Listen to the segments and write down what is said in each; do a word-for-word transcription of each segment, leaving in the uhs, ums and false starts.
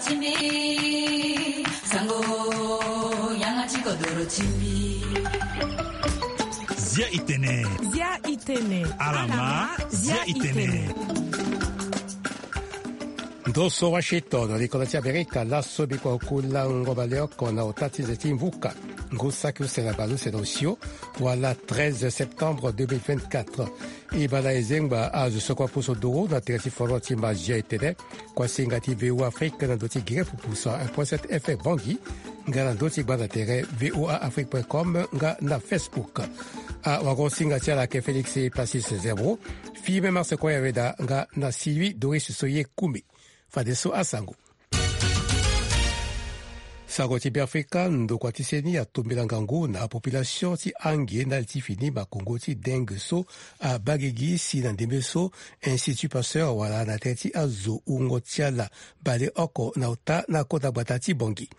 Timbi, sango, yanga ti kodoro timbi. Zia i tene. Zia i tene. Alama, zia i tene. Ndo so Washington, na likonda ti Amerika, laso bikua oku lango baleoko na ota ti nze ti mvuka. Ngu saki use na baleuse na osio, wala treize septembre deux mille vingt-quatre. E baa na e zengba azo so kue apusu nduru na tere ti foro ti mazia e tene. Kuasinga ti V O A Afrique na ndö ti Guinée pupu cent un point sept F M Bangui, nga na ndö ti gbanda tere V O A Afrique point com nga na Facebook. Awagosinga ti ala ayeke Félix Passis Zerbo. Fille Marse Koyaveda nga na Sylvie Doris Soye Koumé. Fadeso asango. Sango ti Beafrika, ndokua ti seni atombela ngangu na population ti ange ndali ti fini makongo ti dengue so abaa gigi si na ndembe so Institut Pasteur wala na tere ti azo wungo ti ala bale oko na ota na kota gbata ti Bangui.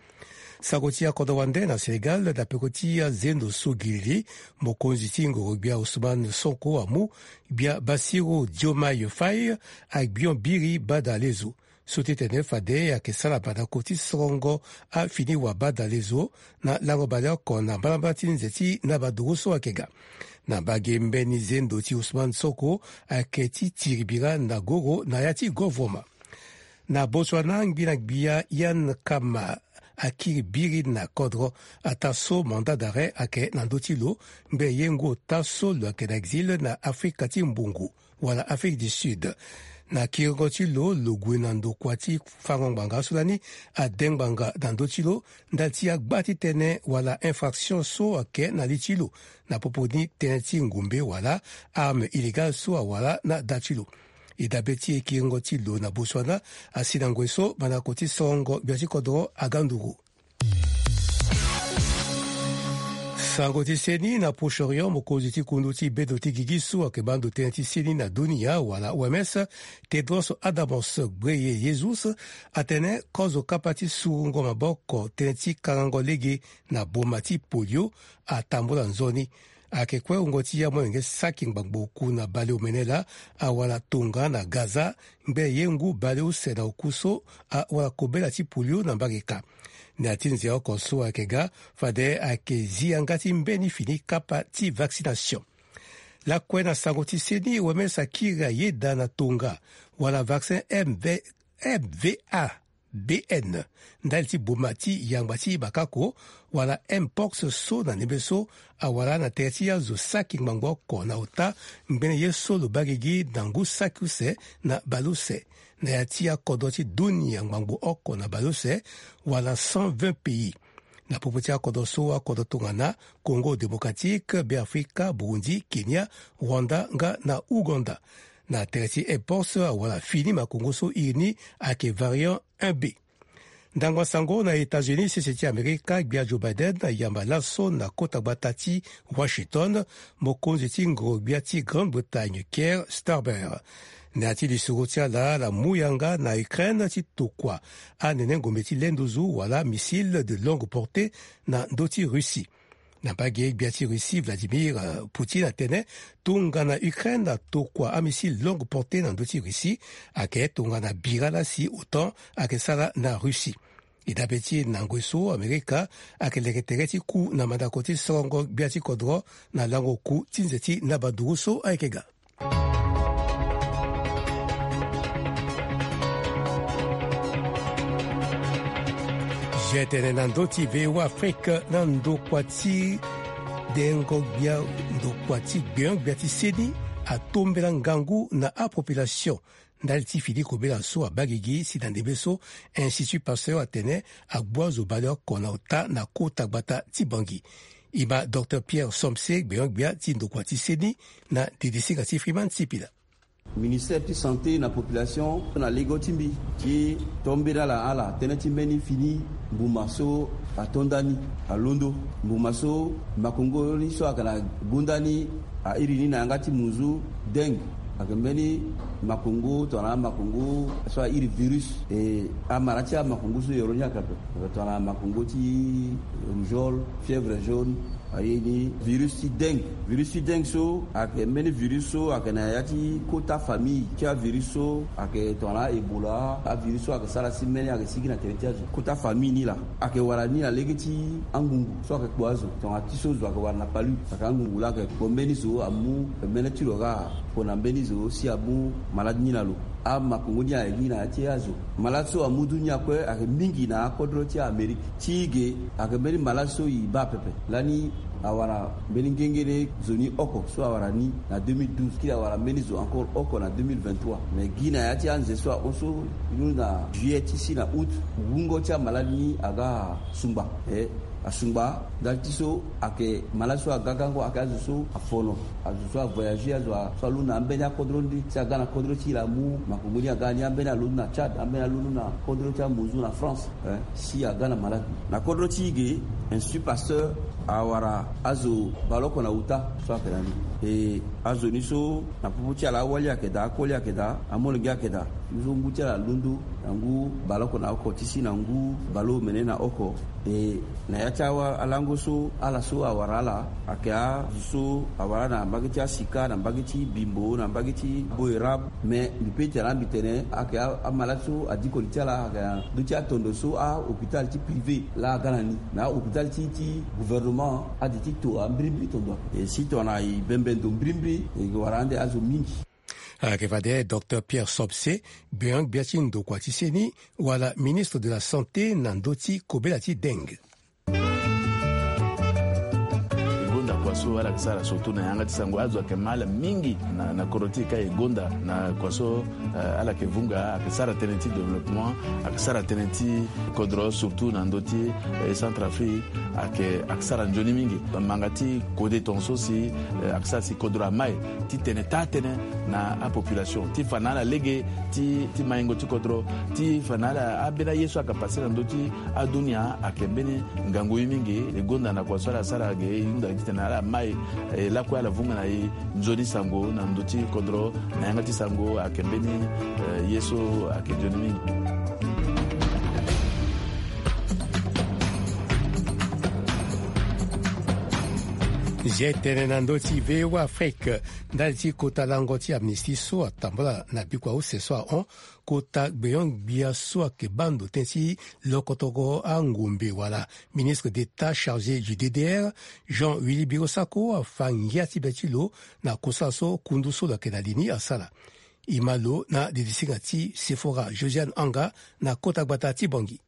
Sango ti akodro wande na Sénégal na peko ti azendo so gilili, mokonzi ti ngoro gbia Ousmane Sonko amu, gbia Bassirou Diomaye Faye agbion biri bada lezo. So ti tene fade ayeke sara banda koti sorongo afini wa bada lezo na lango baleoko na mbalambala ti nze ti naba duru so ayeke ga. Na mbage mbeni zendo ti Ousmane Sonko ayeke ti tiri bira na goro na ya ti govoroma. Na Botswana, ngbi na gbia Ian Khama akiri biri na kodro ataa so mandat d'arrêt ayeke na ndö ti lo, ngbe ye ngu ota so lo yeke na exil na Afrika ti mbungu wala Afrique du Sud. Na kiringo ti lo, lo gue na ndokua ti fango ngbanga so lani ade ngbanga na ndö ti lo ndali ti agba ti tënë wala infraction so ayeke na li ti lo, na popo ni tënë ti ngumbe wala arme illégale so awara na da ti lo. E dabe ti e kiringo ti lo na Botswana asi na ngoi so mandako ti sorongo gbia ti kodro aga nduru. Sango ti seni na Proche-Orient, mokonzi ti kundu ti bedo ti gigi so ayeke baa ndo tënë ti seni na dunia wala O M S, Tedros Adhanom Ghebreyesus, atene kozo kapa ti surungo maboko tënë ti kangango lege na boma ti polio atambula nzoni. Ayeke kue wungo ti amolenge saki ngbangbo oku na baleomene laa awara tongana Gaza, ngbe ye ngu baleuse na oku so awara kobela ti polio na mbage ka. Na ya ti nze oko so ayeke ga, fade ayeke zi yanga ti mbeni fini kapa ti vaccination. Lakue na sango ti seni, O M S akiri ayeda na tonga wala vaccin M V, M V A B N ndali ti boma ti yangba ti bakako wala mpox so na ndembe so awara na tere ti azo saki ngbangbo oko na ota ngbene ye so lo baa gigi na ngu saki use na baleuse na ya ti akodro ti dunia ngbangbo oko na baleuse wala cent vingt pays. Na popo ti akodro so akodro tongana Congo Démocratique, Beafrika, Burundi, Kenya, Rwanda nga na Ouganda. Na tere ti mpox awara fini makongo so iri ni ayeke variant un B. Ndangba sango na États-Unis, sese ti Amerika, gbia Joe Biden ayamba laso na kota gbata ti Washington mokonzi ti ngoro gbia ti Grande-Bretagne, Keir Starmer. Na ya ti lisoro ti ala, ala mu yanga na Ukraine ti tokua anene ngombe ti le nduzu wala missile de longue portée na ndö ti Russie. Na mbage, gbia ti Russie Vladimir, euh, Poutine atene tongana Ukraine atokua amissile longue portée na ndö ti Russie, ayeke tongana bira la si OTAN ayeke sara na Russie. E dabe ti e na ngoi so Amerika ayeke leke tere ti ku na mandako ti sorongo gbia ti kodro na lango oku ti nze ti naba duru so ayeke ga. Zia e tene na ndö ti V O A Afrique na ndokua ti dengo gbia, ndokua ti gbeon gbia ti seni atombela ngangu na apopulation ndali ti fini kobela so abaa gigi si na ndembe so Institut Pasteur atene agbu azo baleoko na ota na kota gbata ti Bangui. E ma Docteur Pierre Somse, gbeon gbia ti ndokua ti seni, na didisinga ti Freeman Sipila. Ministère ti santé na population na lego ti mbi ti tombela ala ala tënë ti mbeni fini mbuma so ato ndani alondo. Mbuma so makongo ni so ayeke na gonda ni airi ni na yanga ti munzu dengue. Ayeke mbeni makongo tongana amakongo so airi virus. E amara ti amakongo so yoro ni ayeke ape, tongana makongo ti rougeole, fièvre jaune, Aye ni virus ti dengue. Virus ti dengue so ayeke mbeni virus so ayeke na ya ti kota famille ti avirus so ayeke tongana Ebola. Avirus so ayeke sara si mbeni ayeke sigi na tere ti azo. Kota famille ni laa ayeke wara ni na lege ti angungu so ayeke kpo azo. Tongana ti so zo ayeke wara na palu, ayeke angungu laa ayeke kpo mbeni zo amu, mene ti lo kâ. Pona mbeni zo si amu malade ni na lo. Amakongo ni ayeke gi na ya ti azo. Malade so amu du ni akue ayeke mingi na akodro ti Amérique. Ti ge ayeke mbeni malade so e baa pepe. Lani awara mbeni ngengere zo ni oko so awara ni na deux mille douze, kiri awara mbeni zo encore oko na deux mille vingt-trois. Mais gi na ya ti anze so ahon so, e londo na juillet ti si na août, wungo ti amalade ni aga sungba. E asungba ndali ti so ayeke malade so aga gango, ayeke azo so afono, azo so avoyage, azo a- so alondo na ambeni akodro ni, si aga na kodro ti e laa amu makongo ni aga ni, ambeni alondo na Tchad, ambeni alondo na kodro ti amozu na France. Eh, si aga na malade ni. Na kodro ti e ge, Institut Pasteur awara azo baleoko na uta so ayeke na ni. E azo ni so na popo ti ala awali ayeke daa, akoli ayeke daa, amolenge ayeke daa. Ni so ngu ti ala alondo na ngu baleoko na oko ti si na ngu baleomene na oko. E na ya ti awa- alango so ala so awara ala ayeke azo so awara na mbage ti asika, na mbage ti bimbo, na mbage ti boerab. Mais mbi pe tene mbi tene ayeke a- amalade so adiko li ti ala ayeke na ndö ti atondo so ahôpital ti privé laa aga na ni. Mais ahôpital ti ti gouvernement ade ti to ambirimbiri tondo. E si tongana e bembe ndo mbirimbiri, e wara ande azo mingi. Ayeke fade Docteur Pierre Sobse, gbenyo-gbia ti ndokua ti seni, wala ministre de la santé na ndö ti kobela ti dengue. E gonda kua so ala yeke sara surtout na yanga ti sango, azo ayeke ma ala mingi na, na kodro ti e ka e gonda na kua so, eh, ala yeke vunga, ayeke sara tënë ti développement, ayeke sara tënë ti kodro surtout na ndö ti, eh, Centrafrique, ayeke, ayeke sara nzoni mingi. Manga ti kode tongaso si, eh, ayeke sara si kodro amai ti tene taa tënë na apopulation ti fa na ala lege ti, ti maingo ti kodro, ti fa na ala ambeni aye so ayeke passe na ndö ti adunia ayeke mbeni ngangu ye mingi. E gonda na kua so ala sara ge, e hunda titene ala mai, e lakue ala vunga na e nzoni sango na ndö ti kodro, na yanga ti sango ayeke mbeni, eh, ye so ayeke nzoni mingi. Zia e tene na ndö ti V O A Afrique, ndali ti kota lango ti amnistie so atambula na bikua use so ahon, kota gbenyo-gbia so ayeke baa ndo tënë ti lokotongo angombe wala ministre d'État chargé du D D R, Jean Willy Birosako, afa ngia ti be ti lo na kosala so kundu so lo yeke na li ni asara. E ma lo na didisinga ti Sephora Josiane Anga na kota gbata ti Bangui.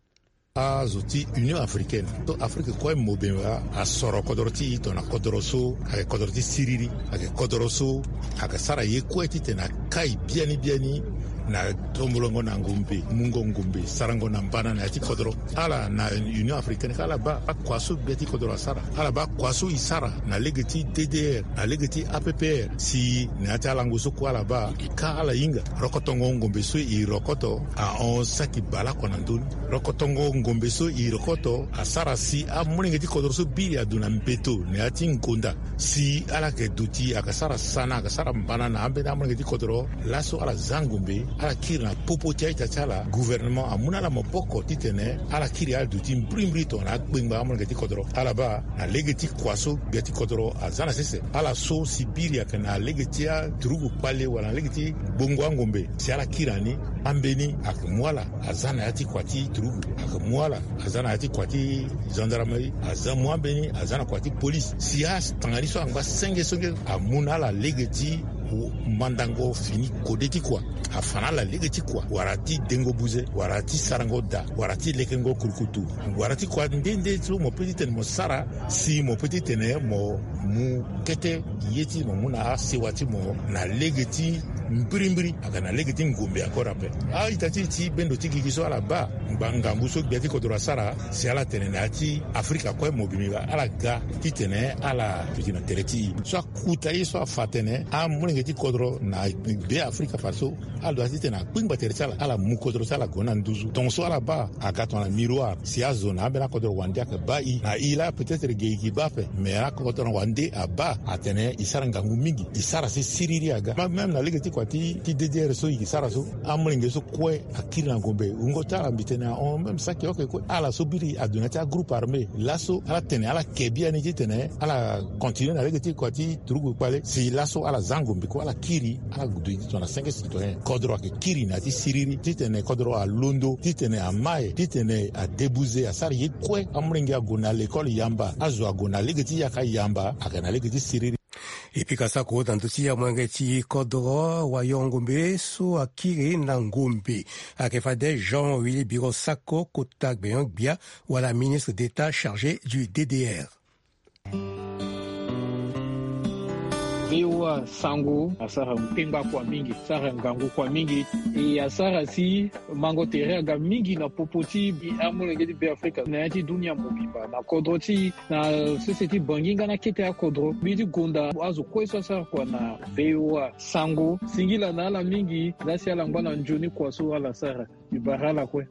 Azo ti Union africaine to Afrique kue mobimba asoro kodro ti e tongana kodro so ayeke kodro ti siriri, ayeke kodro so ayeke sara ye kue titene akai biani biani na tombolongo na ngombe, mungo ngombe, sarango na mbana na ya ti kodro. Ala na Union africaine ka ala baa akua so gbia ti kodro asara, ala baa kua so e sara na lege ti D D R, na lege ti A P P R, si na ya ti alango so kue ala baa ka ala hinga. Rokotongo ngombe so e rokoto ahon saki baleoko na ndö ni. Rokotongo ngombe so e rokoto asara si amolenge ti kodro so biri adu na mbeto na ya ti ngonda. Si ala yeke duti, ayeke sara sana, ayeke sara mbana na ambeni amolenge ti kodro. Laso ala za ngombe, ala kiri na popo ti a-ita ti ala. Gouvernement amu na ala maboko titene ala kiri ala duti mbirimbiri tongana akpengba amolenge ti kodro. Ala baa na lege ti kua so gbia ti kodro aza na sese. Ala so si biri ayeke na lege ti aturugu kpale wala na lege ti gbongo angombe, si ala kiri na ni, ambeni ayeke mu ala aza na ya ti kua ti turugu, ayeke mu ala aza na ya ti kua ti gendarmerie, aza mu ambeni aza na kua ti polise. Si atanga ni so angba senge senge, amu na ala lege ti mandango fini kode ti kua, afa na ala lege ti kua, wala ti dengo buze, wala ti sarango da, wala ti lekengo kurukutu, wala ti kua nde nde so mo pe titene mo sara, si mo pe titene mo mu kete ye ti mo mu na asewa ti mo na lege ti mbirimbiri, aga na lege ti ngombe encore ape. A-ita ti e ti bendo ti gigi so ala baa ngba ngangu so gbia ti kodro asara, si ala tene na ya ti Afrika kue mobimba ala ga titene ala duti na tere ti e. So akuta ye so afa atene amolenge Ti kodro na be afrika faso, ala doit titene akpingba tere ti ala, ala mu kodro ti ala gue na nduzu. Tongaso ala baa aga tongana miroir si azo na ambeni akodro wande ayeke baa i na i laa, peut-être ge i gi baa ape. Mais akodro wande abaa atene i sara ngangu mingi, i sara si siriri aga. Même na lege ti kua ti ti ddr so i gi sara so, amolenge so kue akiri na ngombe. Wungo ti ala mbi tene ahon même saki oke kue. Ala so biri adu na ya ti agroupe armé laso ala tene ala ke biani titene ala continue na lege ti kua ti turugu kpale si laso ala za ngombe kue ala kiri. Ala gudu i tongana cinq citoyen kodro ayeke kiri na ya ti siriri titene kodro alondo titene amae titene adebuze asara ye kue. Amolenge ague na lekole yamba, azo ague na lege ti yaka yamba ayeke na lege ti siriri. E pika sako na ndö ti amolenge ti kodro wayongombe so akiri na ngombe ayeke fade Jean Willy Biro Sako, kota gbenyo-gbia wala ministre d'état chargé du ddr. Voa Sango asara mpengba kua mingi, asara ngangu kua mingi. E asara si mango tere aga mingi na popo ti amolenge ti Beafrika na ya ti dunia mobimba na kodro ti na sese ti Bangui nga na kete akodro. Mbi ti gonda azo kue so asara kua na Voa Sango, singila na ala mingi. Laa si ala ngba na nzoni kua so ala sara. Mbi bara ala kue.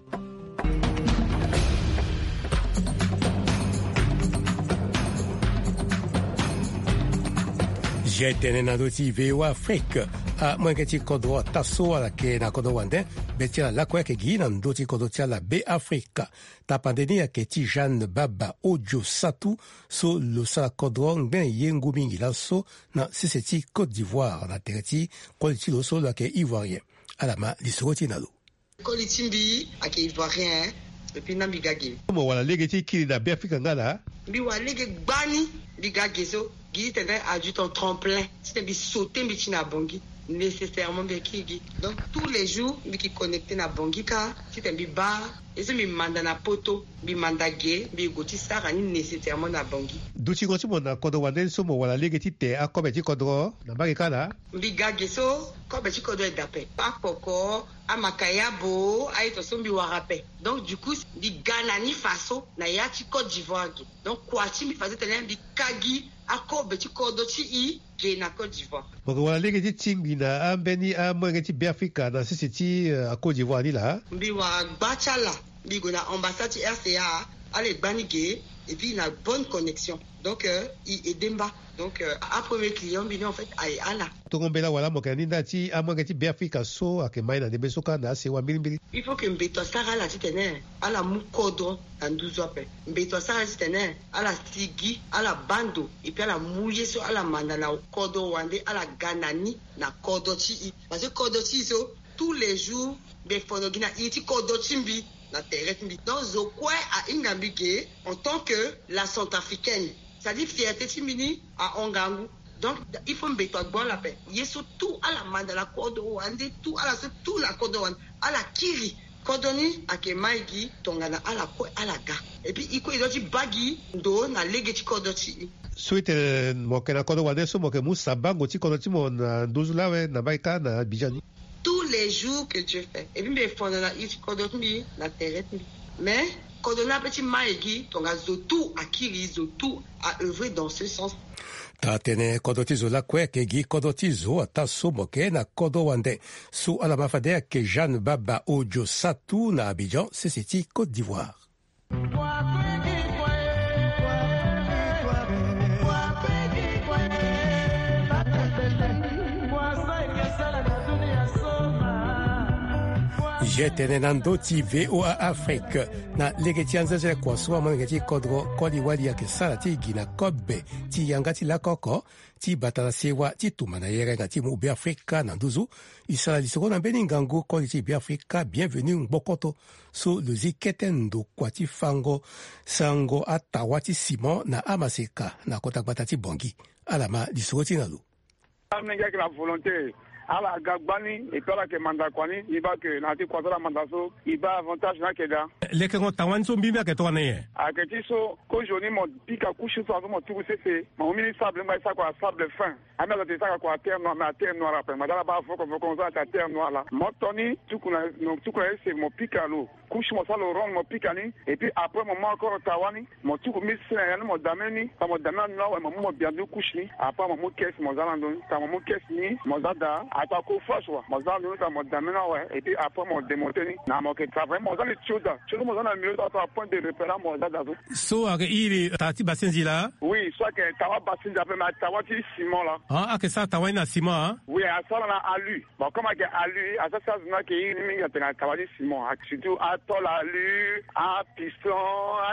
Zia tene na ndö ti Voa Afrique. Amolenge ti kodro ata so ala yeke na kodro wande, be ti ala lakue ayeke gi na ndö ti kodro ti ala Beafrika. Tapande ni ayeke ti Jeanne Baba Odio Satu, so lo sara kodro ngbene yengo mingi laso na sese ti Côte d'Ivoire na tere ti koli ti lo so lo yeke ivoirien. Ala ma lisoro ti e na lo. Koli ti mbi ayeke ivoirien. Epui na mbi ga ge. Mo wara lege ti kiri na Beafrika nga laa? Mbi wara lege gbani. Mbi ga ge so gi titene adjutant tremplin titene mbi saute mbi ti na Bangui. Nécessairement mbi kiri gi. Donc tous les jours mbi yeke connecté na Bangui kâ titene mbi baa ye so mbi manda na poto, mbi manda ge, mbi gue ti sara ni nécessairement na Bangui. Dutingo ti mo na kodro wande so mo wara lege ti te akobe ti kodro na mbage kâ laa? Mbi ga ge so kobe ti kodro e dape, akpoko, amakayabo, aye to so mbi wara ape. Donc du coup mbi ga na ni faso na ya ti Côte d'Ivoire ge. Donc kua ti mbi faso titene mbi ka gi akobe ti kodro ti e ge na Côte d'Ivoire. Mo yeke wara lege ti tingbi na ambeni amolenge ti Beafrika na sese ti Côte d'Ivoire ni laa? Mbi wara gba ti ala. Mbi gue na ambassade ti RCA, ala e gba ni ge. Et puis na bonne connexion. Donc e aidé mba. Donc apremier client mbi ni en fait aye ala. Tongo mbela wala mo yeke na ni nda ti amolenge ti Beafrika so ayeke ma e na ndembe so kâ na asewa mbirimbiri? Il faut que mbeto asara ala titene ala mu kodro na nduzu ape. Mbeto asara ala titene ala sigi, ala baa ndo, et puis ala mu ye so ala manda na kodro wande, ala ga na ni na kodro ti e. Parce que kodro ti e so tous les jours mbi fono gi na iri ti kodro ti mbi na tere ti mbi. Donc zo kue ahinga mbi ge en tant que la centrafricaine. C'est à dire fierté ti mbi ni ahon ngangu. Donc il faut mbeto agbu ala ape. Ye so tout ala manda na kodro wande, tout ala so tout na kodro wande, ala kiri. Kodro ni ayeke ma e gi tongana ala kue ala ga. Et puis e kue e doit ti baa gi ndo na lege ti kodro ti e. So e tene mo yeke na kodro wande so mo yeke mu sabango ti kodro ti mo na nduzu lawe na mbage kâ na Abidjan ni? Tous les jours que Dieu fait. Et puis mbi e fono na iri ti kodro ti mbi na tere ti mbi. Mais kodro ni ape ti ma e gi tonga zo tout akiri, zo tout a œuvrer dans ce sens. Taa tene kodro ti zo lakue ayeke gi kodro ti zo ata so mo yeke na kodro wande. So ala ma fade ayeke Jeanne Baba Odio Satu na Abidjan, sese ti Côte d'Ivoire. Zia tene na ndö ti VOA Afrique. Na lege ti anzezele kua so amolenge ti kodro koli wali ayeke sara ti gi na kobe ti yanga ti lako oko ti bata na sewa ti tumba na yerenga ti mu Beafrika na nduzu. E sara lisoro na mbeni ngangu koli ti Beafrika Bienvenu Ngbokoto, so lo zi kete ndokua ti fango sango atawa ti ciment na amaseka na kota gbata ti Bangui. Ala ma lisoro ti e na lo. Amolenge ayeke na volonté, ala ga gbani, et puis ala yeke manda kua ni, e baa ke na ya ti kua so ala manda so e baa avantage ni ayeke daa. Lekengo tawa ni so mbimbi ayeke tongana nyen? Ayeke ti so kozoni mo pika couche so azo mo tuku sese, mo mu mbeni sable ngba e sara kua sable fin. Ambi azo ate e sara kua terre noire, mais aterre noire ape, ngbada ala baa voko voko so ayeke aterre noire laa. Mo to ni tuku na, tuku na ese mo pika lo. Kusi mo sara lo ronde mo pika ni. Et puis après mo mu encore tawa ni, mo tuku mi sene ya ni mo dame ni. Tanga mo dame na ni awe mo mu mo bia ndu kusi ni. Après mo mu kesi mo za na ndo ni. Tanga mo mu kesi ni mo za daa, ato ako fâche wa mo za na ndo ni. Tanga mo dame ni awe et puis après mo demonte ni. Na mo yeke travailler mo za ni tio daa. Tio ni mo za na milieu so ato apoint de repère mo za daa so. So ayeke iri taa ti basenzi laa? Oui, so ayeke tawa basenzi ape, mais tawa ti ciment laa. Ah, ayeke sara tawa ni na ciment, ah? Oui, asara na alu. Bon, comme ayeke alu, asara si azo ni ayeke iri ni mingi atene na tawa ti ciment, surtout atôle alu, apiston,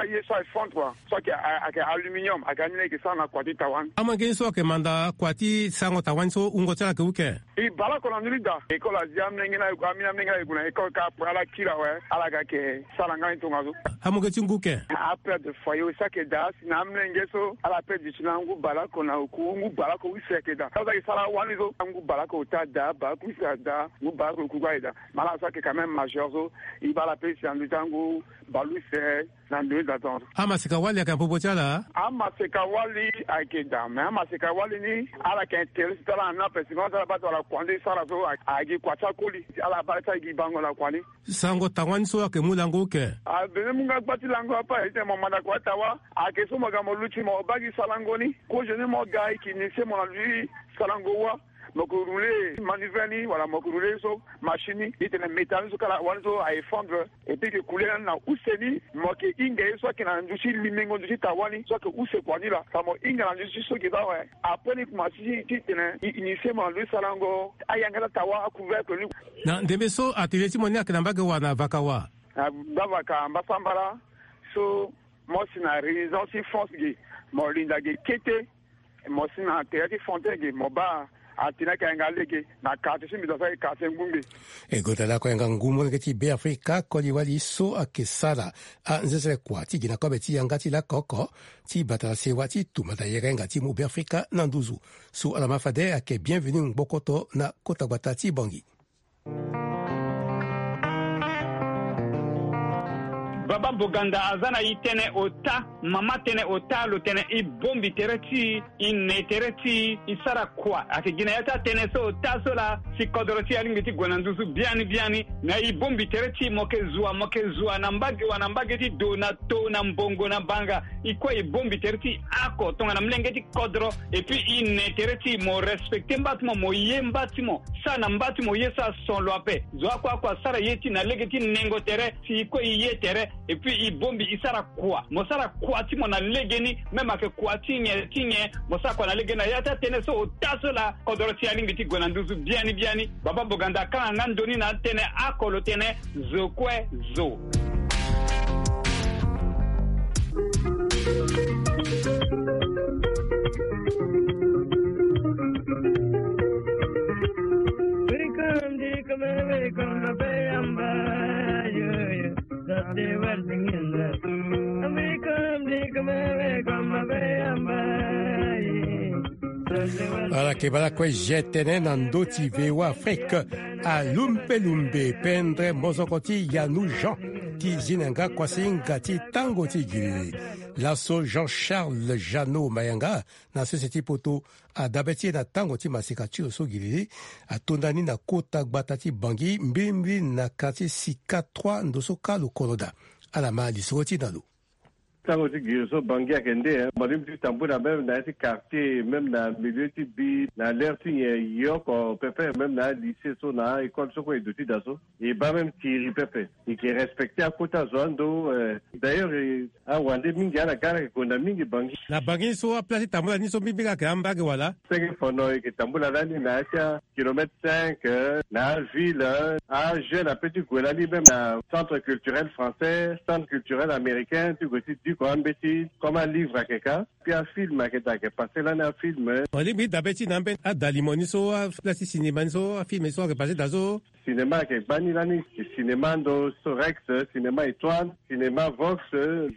aye so aye fondre quoi. So ayeke, ayeke aluminium, ayeke ani ni ayeke sara na kua ti tawa ni. Amolenge ni so ayeke manda kua ti sarango tawa ni so wungo ti ala ayeke uke? E bale oko na ndö ni daa. École azi amolenge ni aye gue, amolenge ni aye gue na école ka ape ala kiri awe, ala ga ayeke sara nga ni tongaso. Amolenge ti ngu ke? Apère de foyer aussi ayeke daa, si na amolenge so ala pe duti na ngu bale oko na oku, ngu bale oko use ayeke daa. Azo ayeke sara awali so, ngu bale oko ota daa, bale oko use adaa, ngu bale oko oku aye daa. Mais ala so ayeke quand même majeur so, e baa ala pe si na ndö ti angu bale use. Na ndö ni daa tongaso. Amaseka wali ayeke na popo ti ala? Amaseka wali ayeke daa, mais amaseka wali ni ala yeke intérêt ti ala na ni ape, si koma ti ala baa ti wala kua nde e sara so, a, a gi kua ti akoli, ala baa ti a gi bango na kua ni. Sarango tawa ni so ayeke mu lango uke? Abene mu nga gba ti lango ape, aye ti tene mo manda kua ti tawa, ayeke so mo ga mo luti mo baa gi sarango ni, kozo ni mo ga e yeke initier mo na ndö ti sarango wa. Mo yeke rouler manivelle ni wala mo yeke rouler so machine ni, e tene métal ni so kala wani so a effondre, et puis e yeke couler na ni na use ni, mo yeke hinga ye so ayeke na ndö ti limengo ndö ti tawa ni so ayeke use kua ni laa. Fa mo hinga na ndö ti so e yeke baa awe. Après ni kuma ti, ti tene e initier mo na ndö ti sarango ayanga ti atawa, acouvercle ni. Na ndembe so atelier ti mo ni ayeke na mbage wa na vaka wa? Na bavaka mbasambala so mo si na résidence ti France ge, mo linda ge kete. Mo si na tere ti Fontaine ge, mo baa atene ayeke yanga lege na quartier ti mbi, do so ayeke quartier Ngungbe. E gonda lakue yanga ngu molenge ti Beafrika koli wali so ayeke sara anzenzele kua ti gi na kobe ti yanga ti lako oko ti bata na sewa ti tumba na yere nga ti mu Beafrika na nduzu. So ala ma fade ayeke Bienvenu Ngbokoto na kota gbata ti Bangui. Baba Boganda aza na e tënë ota, mama tënë ota, lo tene e bongbi tere ti e, e ne tere ti e, e sara kua. Ayeke gi na ya ti atënë so ota so laa si kodoro ti e alingbi ti gue na nduzu biani biani. Na e bongbi tere ti e, mo yeke zua, mo yeke zua na mbage wa, na mbage ti do, na to, na mbongo, na banga. E kue e bongbi tere ti e oko tongana molenge ti kodro. Et puis e ne tere ti e, mo respecter mba ti mo, mo ye mba ti mo, sara na mba ti mo ye so ason lo ape. Zo oko oko asara ye ti e na lege ti nengo tere, si e kue e ye tere. Et puis e bongbi e sara kua, mo sara kua ti mo na legeni. Même ayeke kua ti nyen ti nyen, mo sara kua na legeni. Na ya ti atënë so ota so laa kodoro ti e alingbi ti gue na nduzu biani biani. Baba Boganda akanga nga ndoni na atënë oko, lo tene zo kue zo. Ala yeke baa lakue zia tënë na ndö ti V O A Afrique. Alumbe lumbe pendre mozoko ti Yanou Jean ti zi na yanga kuasinga ti tango ti gilili. Laso Jean Charles Jeannot Mayanga na sese ti poto adabe ti e na tango ti maseka ti lo so gilili atonda ni na kota gbata ti Bangui mbilimbili na quartier Sika trois ndo so kâ lo kono daa. Ala ma lisoro ti e na lo. Tango ti gilili so Bangui ayeke nde, eh, mo lingbi ti tambula même na ya ti quartier, même na milieu ti bi, na l'heure ti nyen, e ye oko pepe, même na alycée so na a-école so kue e duti daa so. E baa même tiri pepe. E yeke respecter akota zo ando, eh. D'ailleurs, eh, awande mingi, ala ga ala yeke gonda mingi Bangui. Na Bangui so aplace ti tambula ni so mbimbili ayeke ambage wala? Senge fono e yeke tambula lani na ya ti a kilomètre cinq, eh, na aville, eh, ajeune ape ti gue lani même na centre culturel français, centre culturel américain, ti gue ti diko ambeti, comme alivre ayeke ka. Puis afilm ayeke daa, ayeke passe lani afilm, eh. Mo lingbi ti dabe ti e na ambeni adalimo ni so, aplace ti cinéma ni so, afilm so ayeke passe daa so? Cinéma ayeke gbani lani, cinéma ndo so Rex, cinéma Étoile, cinéma Vox,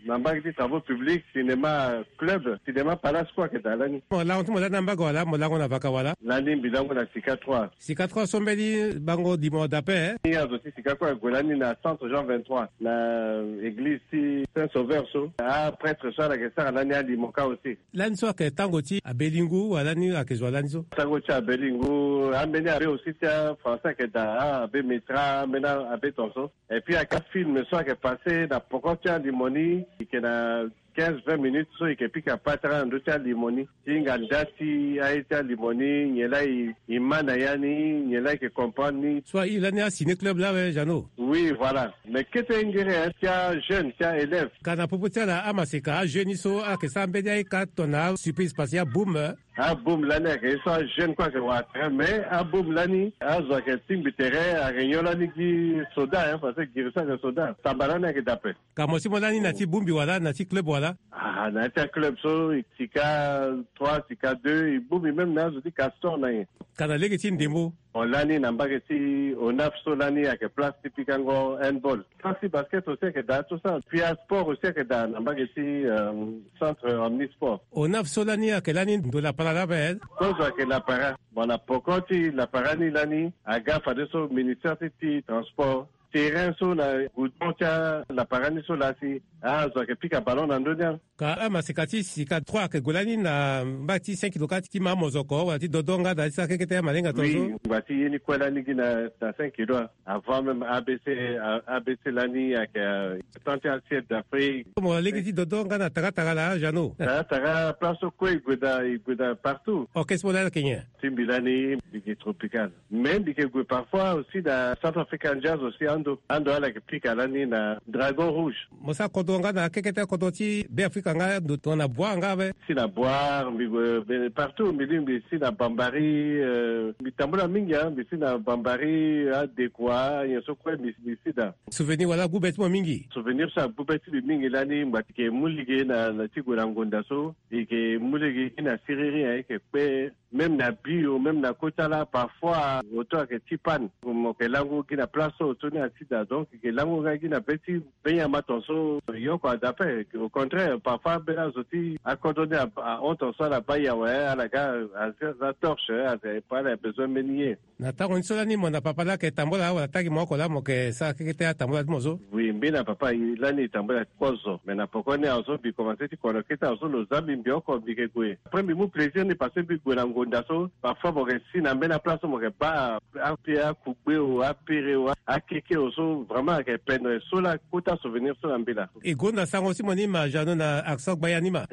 na mbage ti travaux publics, cinéma Club, cinéma Palace kue ayeke daa lani. Mo lango ti mo lani na mbage wala mo lango na vaka wala? Lani mbi lango na Sika trois. Sika trois so mbeni bango dimo dape, eh? Ni azo ti Sika kue ague lani na centre Jean vingt-trois, na église ti Saint Sauveur so. Aprêtre so ala yeke sara lani alimo kâ aussi. Lani so ayeke tango ti abelingu wala lani ayeke zo wa lani so? Tango ti abelingu, ambeni abe aussi ti afrançais ayeke daa. abe metra ambeni abe ton so. Et puis ake afilme so ake pase na poko ti alimo ni, eke na quinze vingt minutes so eke pika patara na ndö ti alimo ni ti hinga nda ti aye ti alimo ni, nyen laa e ma na ya ni, nyen laa eke comprendre ni. So aye lani asigne club laa awe, Jeannot? Oui, voilà. Mais kete ngere ti ajeune ti aélève. Ka na popo ti ala amaseka ajeune ni so ayeke sara mbeni aye ka tongana asurprise parce que aboum. Aboum lani ayeke ye so ajeune kue ayeke wara terrain, mais aboum lani azo ayeke tingbi terrain, ayeke nyon lani gi soda, hein, parce que giri so ayeke soda samba lani ayeke daa ape. Ka mo si mo lani na ti boumbi wala na ti club wala? Ah, na ya ti aclub so, sika trois, sika deux, e boumbi même na azo ti Castor na nyen. Ka na lege ti ndembo. Mo lani na mbage ti onaf so lani ayeke place ti pikango handball. Place ti basket aussi ayeke daa tout ça. Puis asport aussi ayeke daa na mbage ti, euh, centre omnisport. Onaf so lani ayeke lani ndo lapara laa ape? Kozo ayeke lapara. Bon, na poko ti lapara ni lani aga fadeso ministère ti, ti transport. Terrain so na goudron ti alapara ni so laa si azo ayeke pika ballon na ndö ni. Ka amaseka ti sika trois ayeke gue lani na mbage ti cinq kilo ka ti ma mozoko wala ti dodo nga daa ti sara kekete amalenga tongaso. Oui, ngba ti ye ni kue lani gi na, na cinq kilo. Avant même A B C, A-, A B C lani ayeke, euh, temps ti assiette d'Afrique. Mo lege ti dodo nga na taratara laa, Jeannot? Taratara place so kue e gue daa, e gue daa partout. Orchestre mo lani ayeke nyen? Ti mbi lani mbi gi tropical. Mais mbi yeke gue parfois aussi na Centrafrican Jazz aussi ando. Ando ala yeke pika lani na Dragon Rouge. Mo sara kodro nga na kekete kodro ti Beafrika nga ndo tongana Boire nga ape? Si na Boire, mbi gue partout, mbi lingbi si na Bambari, euh, mbi tambula mingi, hein, mbi si na Bambari, aDekoa, nyen so kue mbi, mbi si daa. Souvenir wala ague be ti mo mingi? Souvenir so ague be ti mbi mingi lani, mbi yeke mu lege na, na ti gue na ngonda so, e yeke mu lege gi na siriri, hein, e yeke kpe. Même na bio, même na kota laa, parfois moto ayeke ti panne. Mo yeke lango gi na place so oto ni asi daa. Donc e yeke lango nga gi na be ti be nyama tongaso, e oko ada ape. Au contraire, parfois ambeni azo ti akodro ni a, ahon tongaso ala baa e awe, ala ga aza torche, aza, ala besoin mbeni ye. Na tango ni so lani mo na papa laa ayeke tambula wala tangi mo oko laa mo yeke sara kekete atambula ti mo so? Oui, mbi na papa lani e tambula kozo. Mais na poko ni awe so mbi komanse ti kono kete awe so lo za mbi, mbi oko mbi yeke gue. Après mbi mu plaisir ni parce que mbi gue na ngonda so, parfois mo yeke si na mbeni aplace so mo yeke baa ape akugbe o, apere o, akeke o so, vraiment ayeke pendre so laa kota souvenir so na mbi laa. E gonda sango ti mo ni ma, Jeannot, na accent gbaya ni ma.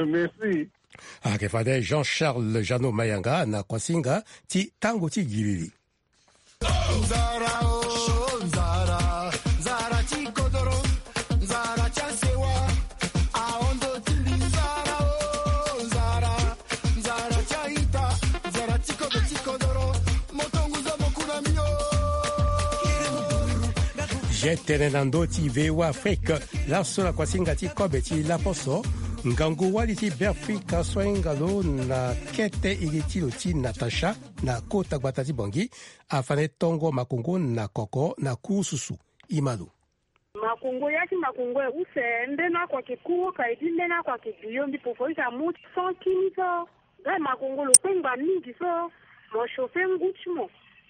Merci. Ayeke fade Jean Charles Jeannot Mayanga na kuasinga ti tango ti gilili. Nzara o, nzara, nzara ti kodoro, nzara ti asewa, ahondo ti mbi. Nzara o, nzara, nzara ti a-ita, nzara ti kodo ti kodoro, moto ngu zo mo ku na mbi o. Je tene na ndö ti V O A Afrique, laso na kuasinga ti kobe ti laposo, ngangu wali ti Beafrika so ahinga lo na kete iri ti lo ti Natacha, na kota gbata ti Bangui, afande tongo makongo na koko na kurususu. E ma lo. Makongo, ya ti makongo e use mbeni oko ayeke kuru ka e bi mbeni oko ayeke biyo mbi pofo ita mu ti son kini so. Nga makongo lo kpengba mingi so, mo chauffer ngu ti mo,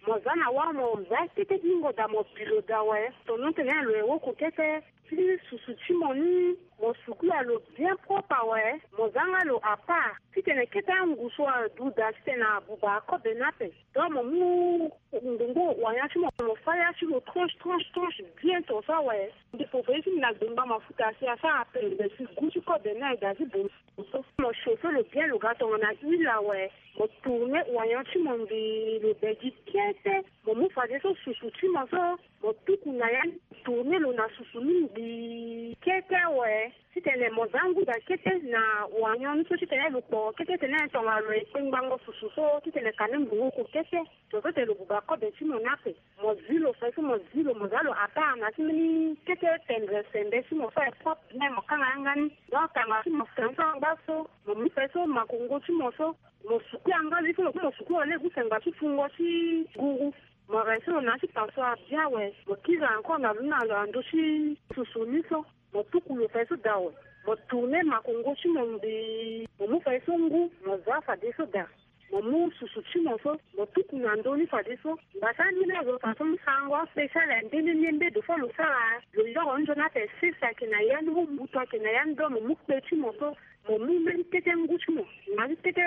mo za na wâ, mo za kete bingo daa, mo bi lo daa awe. Tonon tene lo ye woko kete. Ti susu ti mo ni, mo sukula lo bien propre awe, mo za nga lo à part. Titene kete angu so adu daa titene abuba akobe ni ape. Donc mo mu ngbongo wanyan ti mo, mo fa ya ti lo tranche, tranche, tranche bien tongaso awe. Mbi pofo ye ti mbi na gbengba mafuta si asara pembe si gu ti kobe ni aye daa ti bongo so. Mo chauffer lo bien, lo ga tongana huile awe. Mo tourner wanyan ti mo mbi lo be gi kete. Mo mu fadeso susu ti mo so, mo tuku na ya ni, tourner lo na susu ni mbi kete awe. Titene mo za ngu daa kete na wanyan ni so titene lo kporo kete tene tongana lo ye kpengbango susu so titene kani mbi woko kete. Tongaso tene lo buba kobe ti mo ni ape. Mo zi lo fadeso, mo zi lo, mo za lo à part na ti mbeni kete tendre sembe ti mo so aye propre bien, mo kanga yanga ni. Donc tanga ti mo fadeso angba so, mo mu fadeso makongo ti mo so, mo suku yanga ni so, mo suku lo lege use ngba ti fungo ti guru. Mo rince lo na ya ti passoire bien awe. Mo kiri encore na lo ni na lo na ndö ti susu ni so. Mo tuku lo fadeso daa awe. Mo tourner makongo ti mo mbi. Mo mu fadeso ngu, mo za fadeso daa. Mo mu susu ti mo so, mo tuku na ndö ni fadeso. Ngbasa ni ni azo fa so mu sarango spécial aye nde ni ni mbedo so lo sara. Lo yoro nzoni ape sese ayeke na ya ni, mu mbutu ayeke na ya ni, donc mo mu kpe ti mo so, mo mu mbeni kete ngu ti mo, na ti kete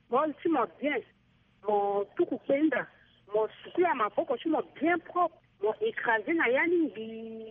bol ti mo bien. Mo tuku kpe ni daa. Mo sukula maboko ti mo bien propre. Mo écrasé na ya ni ngbii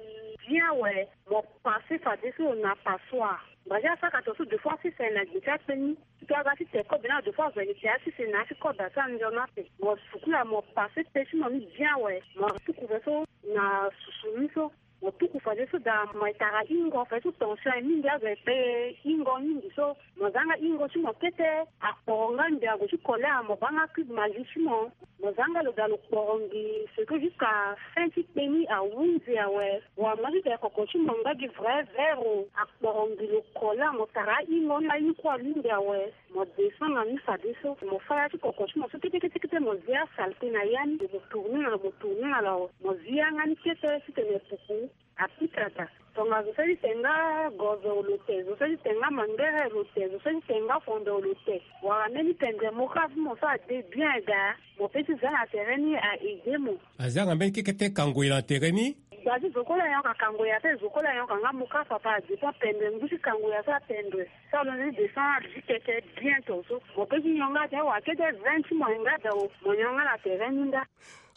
bien awe. Mo passé fadeso na passoire. Mbazi asaka to so deux fois six na gbe ti akpe ni. Ti aga ti te kobe na deux fois vingt ti asisi na ya ti kobe asa nzona ape. Mo sukula mo passé pe ti mo ni bien awe. Mo tuku fadeso na susu ni so. Mo tuku fadeso daa mo tara ingo fadeso tension aye mingi azo aye pe ingo mingi so. Mo zanga ingo ti mo kete. Akporo nga mbi ague ti kole awe mo banga cube magi ti mo. Mo zanga lo daa lo kporo ngbii seke jusqu'à fin ti kpe ni ahunzi awe. Wa mo ti te koko ti mo nga gi vrai vero. Akporo ngbii lo kole awe mo tara ingo ni aye ni kue alingbi awe. Mo descend na ni fadeso mo fâ ya ti koko ti mo so kete kete kete mo zi asalte na ya ni. Mo tourner na lo mo tourner na lo awe mo zi yanga ni kete titene pupu apika daa. Tonga zo seli te nga gozo lo te zo seli te nga mangere lo te zo seli te nga fondo lo te. Wala mbeni pendre mo ka ti mo so ade bien daa. Mo pe ti za na tere ni a aidé mo. Azanga mbeni kekete kangoya na tere ni. Gba ti zo kue la yonka kangoya ape zo kue la yonka nga mo ka papa adépend pendre ngu ti kangoya so apendre. So alonze ti descend adi keke bien to so mo pe ti yonga te wa kete vingt ti mo yonga dao mo yonga na tere ni nda.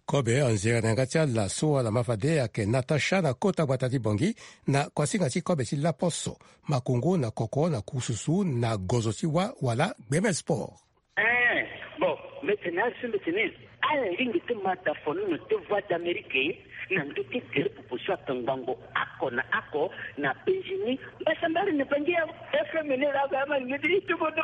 Kobe anzere na yanga ti ala so ala ma fade ayeke Natacha na kota gbata ti Bangui. Na kuasinga ti kobe ti laposo, makongo na koko na kususu na gozo ti wa wala gbeme sport. Eh, bon, mbeti na asu mbeti ni. Ala lingbi ti ma da fonono ti Voix d'Amérique na ndö ti gere pupu so ake ngbangbo oko na oko na penzi ni. Mbasambari ni pangi ya F M ni la ga ma lingbi ti tubodo.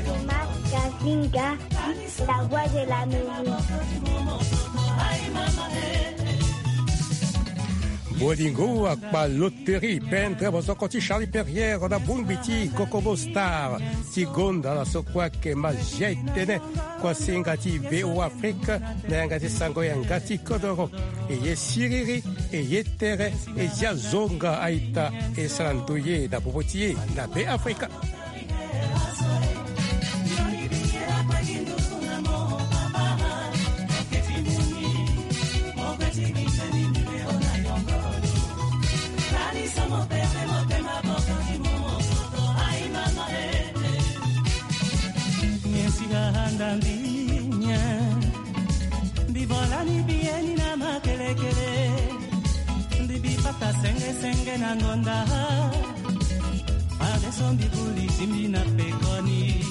Thomas Kazinga, la voix de l'Amérique. Bolingo akpa loterie pendre bosoko ti Charlie Perrière na bongbi ti Kokobo Star ti gonda na so kue ake ma zia etene. Kuasinga ti V O Afrique na yanga ti sango yanga ti kodoro. E ye siriri, e ye tere, e zia zonga aita, e sara ndoye na popo ti e na Be Afrika. Nyen si ga handa mbi nyen? Mbi vo lani mbi ye ni na makelekele. Mbi bi pata senge senge na ngonda. Fadeso mbi guli ti mbi na pekoni.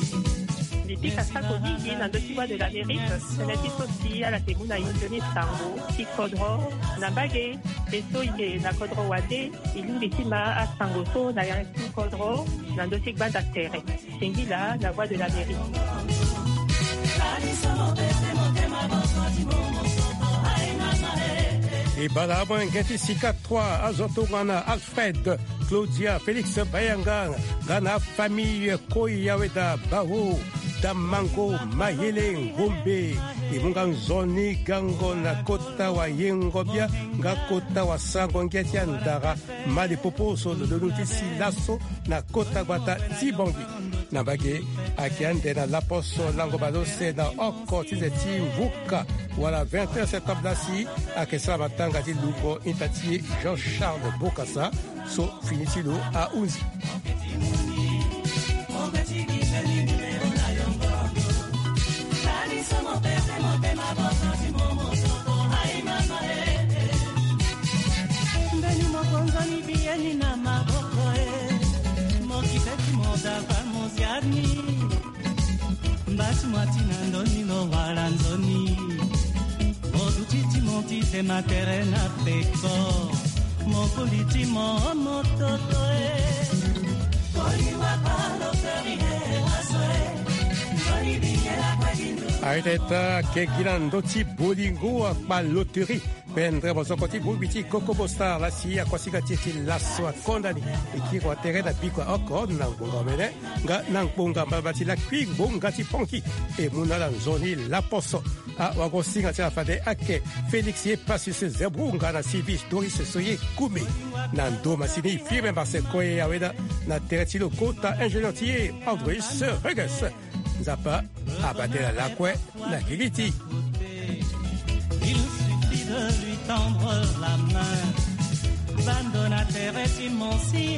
Mbi pika sako mingi na ndö ti Voix de l'Amérique. Tënë ti so si ala yeke mu na e nzoni sango ti kodro na mbage. E so e yeke na kodro wande e lingbi ti ma asango so na yanga ti kodro na ndö ti gbanda tere. Singila, la voix de l'Amérique. E bala amolenge ti sika trois azo tongana Alfred, Claudia, Félix Bayanga nga na afamille Koyaweda, Bawo, Damango, Mayele, Ngombe. E mu nga nzoni gango na kota wayengo bia nga kota wasango ngia ti andara. Mali popo so lo lonu ti si laso na kota gbata ti Bangui. Na mbage, ayeke ande na laposo lango baleuse na oko ti ze ti mvuka wala vingt heures septembre lasi, ayeke sara matanga ti lungo ita ti e Jean Charles Bokassa so fini ti lo ahunzi. Mbeni mokonzoni biyeni na maboko e, mokite ti modava moziani. Mbasi mwa ti na ndoni lo wala nzoni. Moduti ti mo ti zema tere na peko. Mokuli ti mo mototo e. Koliwa palo feri e waso e. Nzoni biyela kwe bindu. Arete ta kegi na ndö ti bolingo akpa loterie. Pendere mosoko ti bongbi ti kokobo star lasi akuasinga ti e ti laso akonda ni. E kiri wa tere na biko oko na ngbonga omene nga na ngbonga mbaba ti lakui ngbonga ti ponki. E mu na ala nzoni laposo. Awagosinga ti ala fade ake Félix ye Pasius Zebrunga na Silvis Doris so ye kume. Na ndo masini firme marse koye aweda na tere ti lo kota ingénieur ti ye Andrus Reges. Nzapa abate na lakue na gigi ti. Il suffit de lui tendre la main. Bando na tere ti monsi.